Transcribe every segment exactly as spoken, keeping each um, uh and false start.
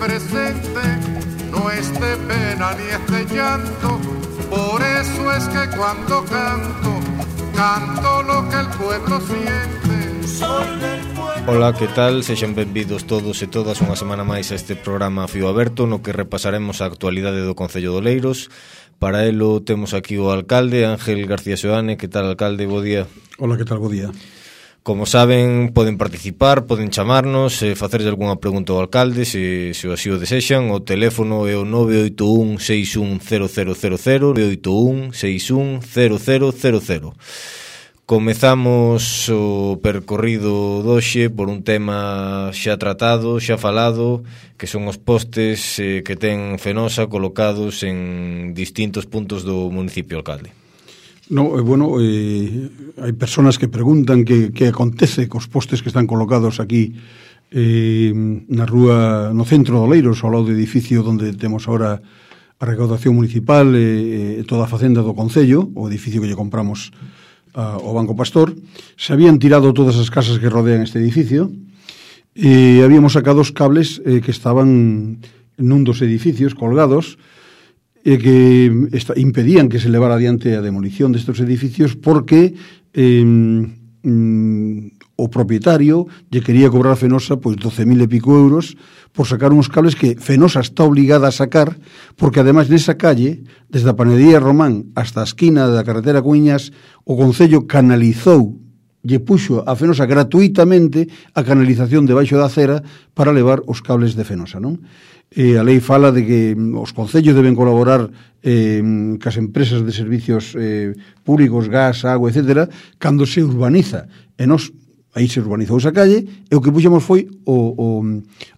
presente, no es de pena ni es de llanto, por eso es que cuando canto, canto lo que el pueblo siente. Soy del pueblo. Ola, que tal? Sexan benvidos todos e todas unha semana máis a este programa Fío Aberto, no que repasaremos a actualidade do Concello de Oleiros. Para elo temos aquí o alcalde, Ángel García Seoane. Que tal, alcalde? Bo día. Ola, que tal? Bo día. Como saben, poden participar, poden chamarnos, e facerlle algunha pregunta ao alcalde, se, se o así o desexan. O teléfono é o nove oito un seis un cero cero cero cero, nove oito un seis un cero cero cero cero. Comezamos o percorrido doxe por un tema xa tratado, xa falado, que son os postes eh, que ten Fenosa colocados en distintos puntos do municipio, alcalde. No, eh, bueno, eh, hai personas que preguntan que, que acontece cos postes que están colocados aquí eh, na rúa, no centro de Oleiros, ao lado do edificio onde temos ahora a recaudación municipal e eh, toda a facenda do Concello, o edificio que lle compramos a, ao Banco Pastor. Se habían tirado todas as casas que rodean este edificio e habíamos sacado os cables eh, que estaban nun dos edificios colgados e que esta, impedían que se levara adiante a demolición destes edificios porque eh, mm, o propietario lle quería cobrar a Fenosa pois doce mil e pico euros por sacar uns cables que Fenosa está obligada a sacar, porque ademais nesa calle, desde a panadería Román hasta a esquina da carretera Cuiñas, o Concello canalizou, lle puxo a Fenosa gratuitamente a canalización debaixo da acera para levar os cables de Fenosa, non? E a lei fala de que os concellos deben colaborar eh, cas empresas de servicios eh, públicos, gas, agua, etcétera, cando se urbaniza. E nos, aí se urbanizou esa calle, e o que puxemos foi o, o,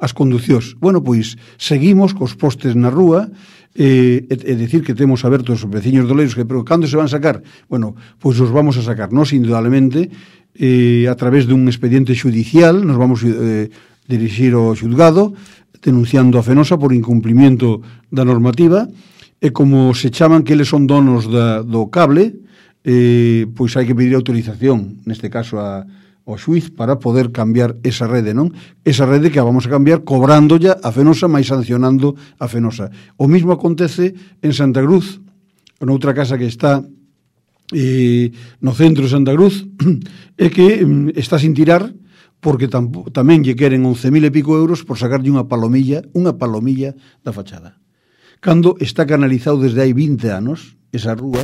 as conducións. Bueno, pois, seguimos cos postes na rúa, e, e decir que temos abertos os veciños de Oleiros, que, pero cando se van sacar? Bueno, pois os vamos a sacar, nos, indudablemente, eh, a través dun expediente judicial, nos vamos eh, dirixir ao xulgado, denunciando a Fenosa por incumplimiento da normativa, e como se chaman que eles son donos da, do cable, eh, pois hai que pedir autorización, neste caso a, ao xuiz, para poder cambiar esa rede, non? Esa rede que a vamos a cambiar cobrándolla a Fenosa, máis sancionando a Fenosa. O mismo acontece en Santa Cruz, noutra casa que está eh, no centro de Santa Cruz, é que mm, está sin tirar, porque tampo, tamén lle queren once mil e pico euros por sacarlle unha palomilla, unha palomilla da fachada. Cando está canalizado desde hai vinte anos, esa rúa,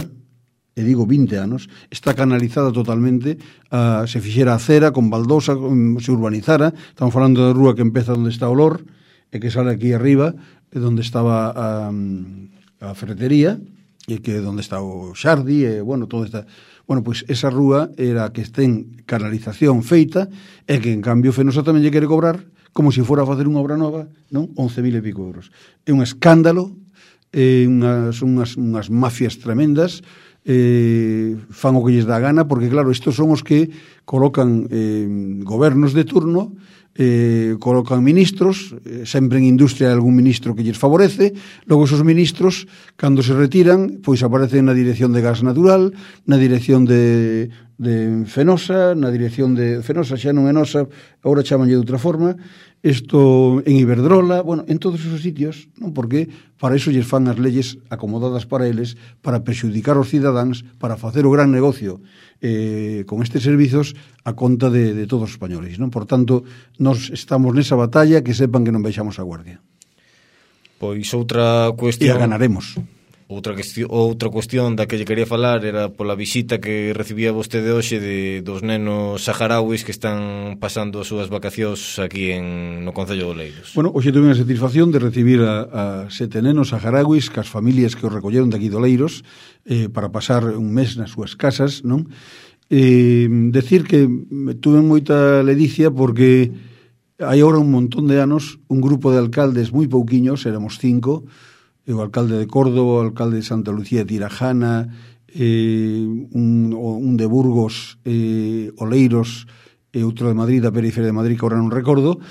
e digo vinte anos, está canalizada totalmente, uh, se fixera a acera, con baldosa, um, se urbanizara. Estamos falando da rúa que empeza onde está o Lor, e que sale aquí arriba, onde estaba a, a ferretería, e que onde está o Xardi, e, bueno, todo está... Bueno, pois esa rúa era a que ten canalización feita e que, en cambio, Fenosa tamén lle quere cobrar como se fora a facer unha obra nova, non? once mil e pico euros. É un escándalo, é unhas, unhas, unhas mafias tremendas, eh, fan o que lles dá a gana, porque, claro, estos son os que colocan eh, gobernos de turno, eh, colocan ministros, eh, sempre en industria hai algún ministro que lles favorece, logo esos ministros, cando se retiran, pois aparecen na dirección de gas natural, na dirección de, de Fenosa, na dirección de Fenosa, xa non é nosa, agora chamanlle de outra forma, isto en Iberdrola, bueno, en todos esos sitios, non? Porque para iso lles fan as leyes acomodadas para eles, para prexudicar os cidadáns, para facer o gran negocio eh, con estes servizos a conta de, de todos os españoles, non? Por tanto, nos estamos nesa batalla, que sepan que non baixamos a guardia. Pois outra cuestión... E a ganaremos. Outra cuestión, outra cuestión da que lle quería falar era pola visita que recibía vostede hoxe de dos nenos saharauis que están pasando as súas vacacións aquí en, no Concello de Oleiros. Bueno, hoxe tuve a satisfacción de recibir a, a sete nenos saharauis cas familias que os recolleron de aquí de Oleiros eh, para pasar un mes nas súas casas, non? Eh, decir que tuve moita ledicia porque hai agora un montón de anos un grupo de alcaldes moi pouquiños, éramos cinco, o alcalde de Córdoba, o alcalde de Santa Lucía de Tirajana, eh, un, un de Burgos, eh, Oleiros, e outro de Madrid, da periferia de Madrid, que ahora non recordo,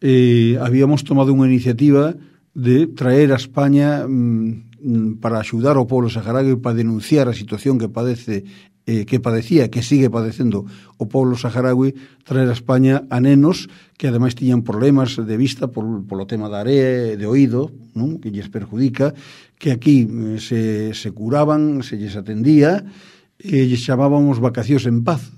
eh, habíamos tomado unha iniciativa de traer a España mm, para axudar ao povo saharaui, para denunciar a situación que padece eh, que padecía, que sigue padecendo o povo saharaui, traer a España a nenos que ademais tiñan problemas de vista por, polo tema da area, de oído, non? Que lles perjudica, que aquí eh, se, se curaban, se lles atendía, e lles chamábamos vacacións en paz.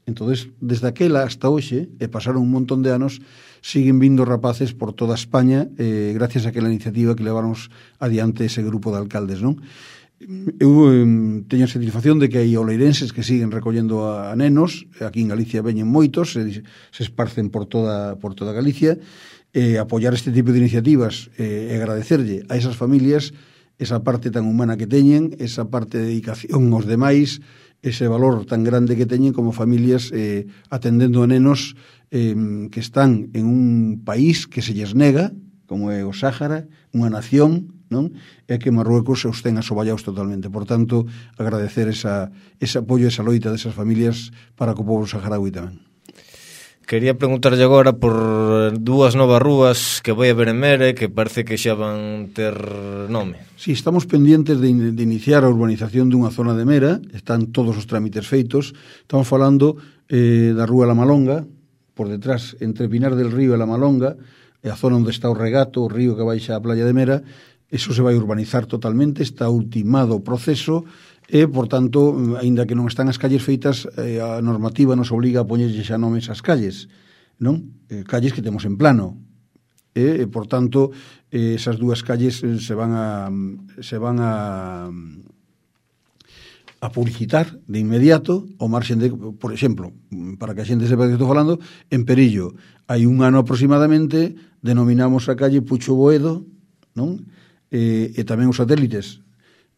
Entonces, desde aquela hasta hoxe, e pasaron un montón de anos, siguen vindo rapaces por toda España, eh, gracias a aquela iniciativa que leváramos adiante ese grupo de alcaldes, non? Eu eh, teño a satisfacción de que hai oleirenses que siguen recollendo a, a nenos, aquí en Galicia veñen moitos, se, se esparcen por toda, por toda Galicia, e eh, apoiar este tipo de iniciativas e eh, agradecerlle a esas familias esa parte tan humana que teñen, esa parte de dedicación aos demais, ese valor tan grande que teñen como familias eh, atendendo a nenos eh, que están en un país que se lles nega, como é o Sáhara, unha nación, non? É que Marruecos os ten asoballados totalmente. Por tanto, agradecer esa, ese apoio, esa loita desas familias para co povo saharaui tamén. Quería preguntarlle agora por dúas novas rúas que vai haber en Mera que parece que xa van ter nome. Si, sí, estamos pendientes de, in, de iniciar a urbanización dunha zona de Mera, están todos os trámites feitos. Estamos falando eh, da Rúa La Malonga, por detrás, entre Pinar del Río e La Malonga, e a zona onde está o regato, o río que baixa a playa de Mera. Eso se vai urbanizar totalmente, está ultimado o proceso e, por tanto, aínda que non están as calles feitas, eh, a normativa nos obliga a poñerlle xa nomes ás calles, non? Eh, calles que temos en plano. E, por tanto, eh, esas dúas calles eh, se van a se van a a publicitar de inmediato ao marxen de, por exemplo, para que a xente sepa que estou falando, en Perillo hai un ano aproximadamente denominamos a calle Pucho Boedo, non? E, e tamén os satélites.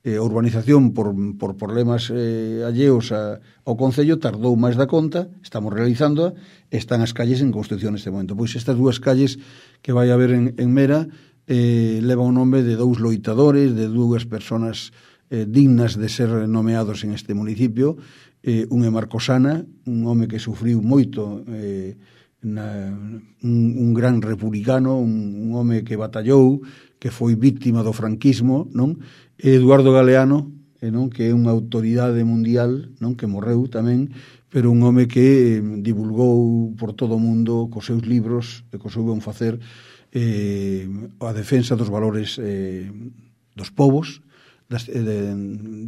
E a urbanización por, por problemas eh, alleos a, ao Concello tardou máis da conta, estamos realizando, están as calles en construcción neste momento. Pois estas dúas calles que vai haber en, en Mera eh, levan o nome de dous loitadores, de dúas personas eh, dignas de ser nomeados en este municipio. Eh, un é Marcosana, un home que sufriu moito, eh, na, un, un gran republicano, un, un home que batallou, que foi víctima do franquismo, non? Eduardo Galeano, eh, non? Que é unha autoridade mundial, non? Que morreu tamén, pero un home que eh, divulgou por todo o mundo cos seus libros e cos seu bon facer eh, a defensa dos valores eh, dos povos, das, eh, de,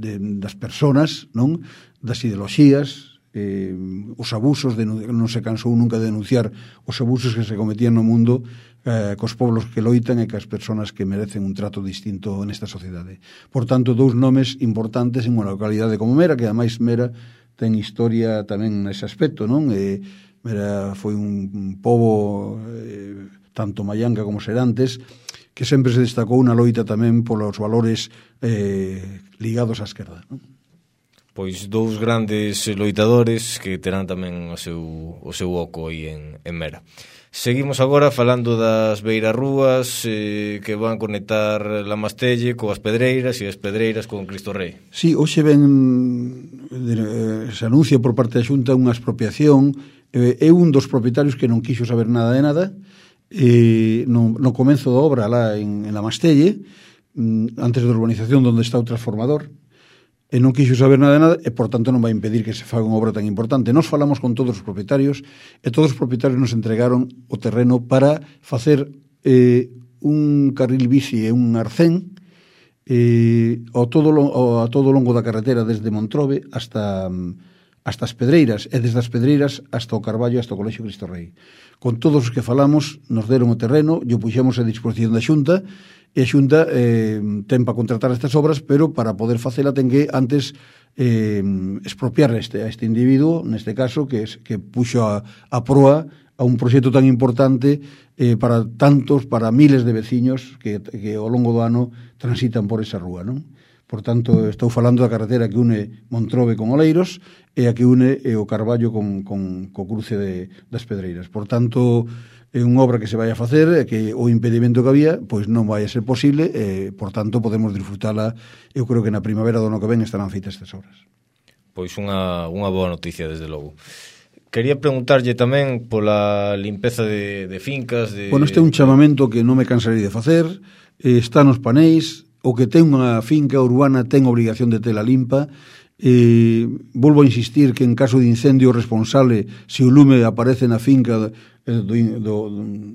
de, das personas, non? Das ideoloxías, eh, os abusos, de, non se cansou nunca de denunciar os abusos que se cometían no mundo eh, cos poblos que loitan e cas persoas que merecen un trato distinto nesta sociedade. Por tanto, dous nomes importantes en unha localidade como Mera, que ademais Mera ten historia tamén nese aspecto, non? E Mera foi un, un pobo eh, tanto maianga como Serantes que sempre se destacou unha loita tamén polos valores eh, ligados á esquerda, non? Pois dous grandes loitadores que terán tamén o seu, o seu oco aí en, en Mera. Seguimos agora falando das beirarrúas eh, que van conectar La Mastelle coas Pedreiras e as Pedreiras con Cristo Rei. Sí, hoxe ven eh, se anuncia por parte da Xunta unha expropiación. Eh, é un dos propietarios que non quixo saber nada de nada eh, no, no comenzo da obra lá en, en La Mastelle, antes da urbanización onde está o transformador, e non quixo saber nada de nada e, por tanto, non vai impedir que se faga unha obra tan importante. Nos falamos con todos os propietarios e todos os propietarios nos entregaron o terreno para facer eh, un carril bici e un arcén eh, ao todo, ao, a todo o longo da carretera desde Montrobe hasta, hasta as Pedreiras e desde as Pedreiras hasta o Carballo, hasta o Colexio Cristo Rei. Con todos os que falamos nos deron o terreno, yo puxemos a disposición da Xunta e a Xunta eh, ten para contratar estas obras, pero para poder facela ten que antes eh, expropiar este, a este individuo, neste caso, que, es, que puxo a, a proa a un proxecto tan importante eh, para tantos, para miles de veciños que, que ao longo do ano transitan por esa rúa, non? Por tanto, estou falando da carretera que une Montrobe con Oleiros e a que une eh, o Carballo con, con, co cruce de, das Pedreiras. Por tanto, é unha obra que se vai a facer e que o impedimento que había pois non vai a ser posible e, por tanto, podemos disfrutala. Eu creo que na primavera do ano que ven estarán feitas estas obras. Pois unha, unha boa noticia, desde logo. Quería preguntarlle tamén pola limpeza de, de fincas. De... Bueno, este é un chamamento que non me cansarei de facer. Eh, está nos panéis. O que ten unha finca urbana ten obligación de tela limpa Eh, volvo a insistir que en caso de incendio responsable, se o lume aparece na finca eh, do, do,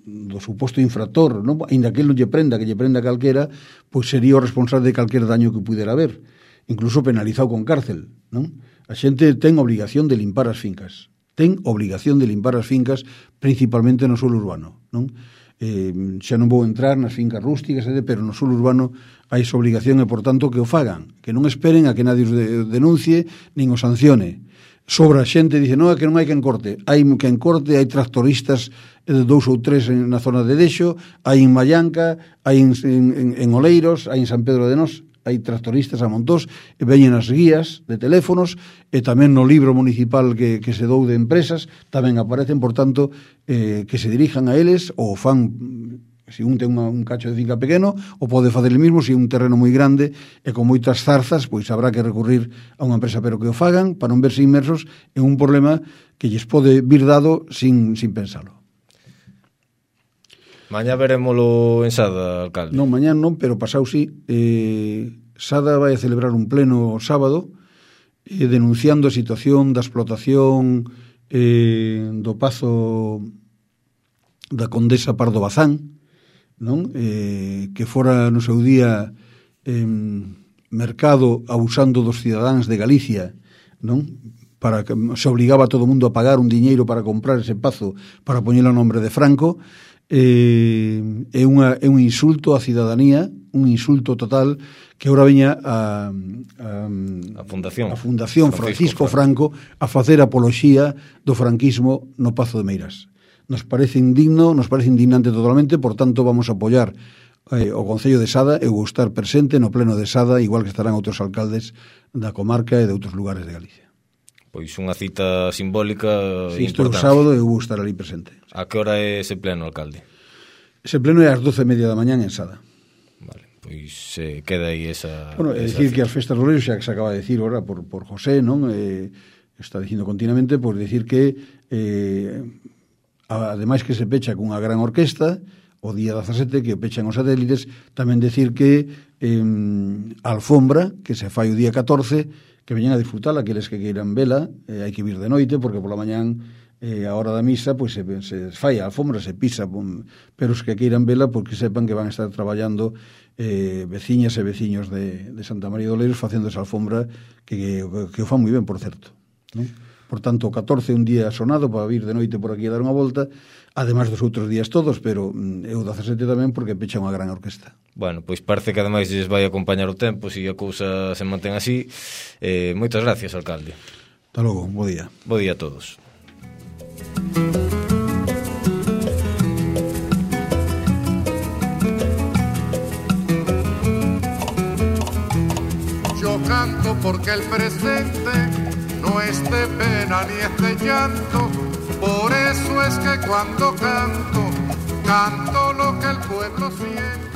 do suposto infractor, non? Ainda que ele non lle prenda, que lle prenda calquera, pois sería o responsable de calquer daño que pudera haber, incluso penalizado con cárcel, non? A xente ten obligación de limpar as fincas, ten obligación de limpar as fincas, principalmente no suelo urbano, non? Eh, xa non vou entrar nas fincas rústicas, pero no suelo urbano hai esa obligación e, por tanto, que o fagan, que non esperen a que nadie os denuncie nin o sancione. Sobra xente, dice, non, é que non hai quen corte. Hai quen corte, hai tractoristas de dous ou tres na zona de Dexo, hai en Mallanca, hai en, en, en Oleiros, hai en San Pedro de Nós, hai tractoristas a montós, e veñen as guías de teléfonos, e tamén no libro municipal que, que se dou de empresas, tamén aparecen, por tanto, eh, que se dirijan a eles, ou fan, se un ten unha, un cacho de finca pequeno, ou pode facer el mismo, se un terreno moi grande, e con moitas zarzas, pois habrá que recurrir a unha empresa, pero que o fagan, para non verse inmersos en un problema que lles pode vir dado sin, sin pensalo. Mañá verémolo en Sada, alcalde. Non, mañá non, pero pasau sí. Eh, Sada vai a celebrar un pleno sábado eh, denunciando a situación da explotación eh, do Pazo da Condesa Pardo Bazán, non? Eh, que fora no seu día eh, mercado abusando dos cidadáns de Galicia, non? Para que se obligaba a todo o mundo a pagar un diñeiro para comprar ese pazo para poñelo a nombre de Franco. Eh, é, unha, é un insulto á cidadanía, un insulto total, que agora veña a, a, a Fundación, a Fundación Francisco, Francisco Franco a facer apoloxía do franquismo no Pazo de Meirás. Nos parece indigno, nos parece indignante totalmente, por tanto vamos a apoiar eh, o Concello de Sada. Eu vou estar presente no pleno de Sada, igual que estarán outros alcaldes da comarca e de outros lugares de Galicia. Pois unha cita simbólica sí, importante. Isto é o sábado e eu vou estar ali presente. A que hora é ese pleno, alcalde? Ese pleno é ás doce e media da mañán en Sada. Vale, pois se eh, queda aí esa... Bueno, é dicir que as festas do Leiro, xa que se acaba de dicir ora por, por José, non? Eh, está dicindo continuamente, pois dicir que eh, ademais que se pecha cunha gran orquesta, o día dezasete que pechan os satélites, tamén dicir que eh, a alfombra, que se fai o día catorce, que veñen a disfrutar aqueles que queiran vela, eh, hai que vir de noite, porque pola mañán eh, a hora da misa, pois se, se fai a alfombra, se pisa, pum, pero os que queiran vela, porque sepan que van a estar traballando eh, veciñas e veciños de, de Santa María de Oleiros facendo esa alfombra que, que, que o fan moi ben, por certo, non? Por tanto, o catorce un día sonado para vir de noite por aquí a dar unha volta, ademais dos outros días todos, pero é o dezasete tamén porque pecha unha gran orquesta. Bueno, pois parece que ademais lles vai acompañar o tempo, se a cousa se mantén así. Eh, moitas gracias, alcalde. Hasta logo, bo día. Bo día a todos. Yo canto porque el presente no es de pena ni es de llanto, por eso es que cuando canto, canto lo que el pueblo siente.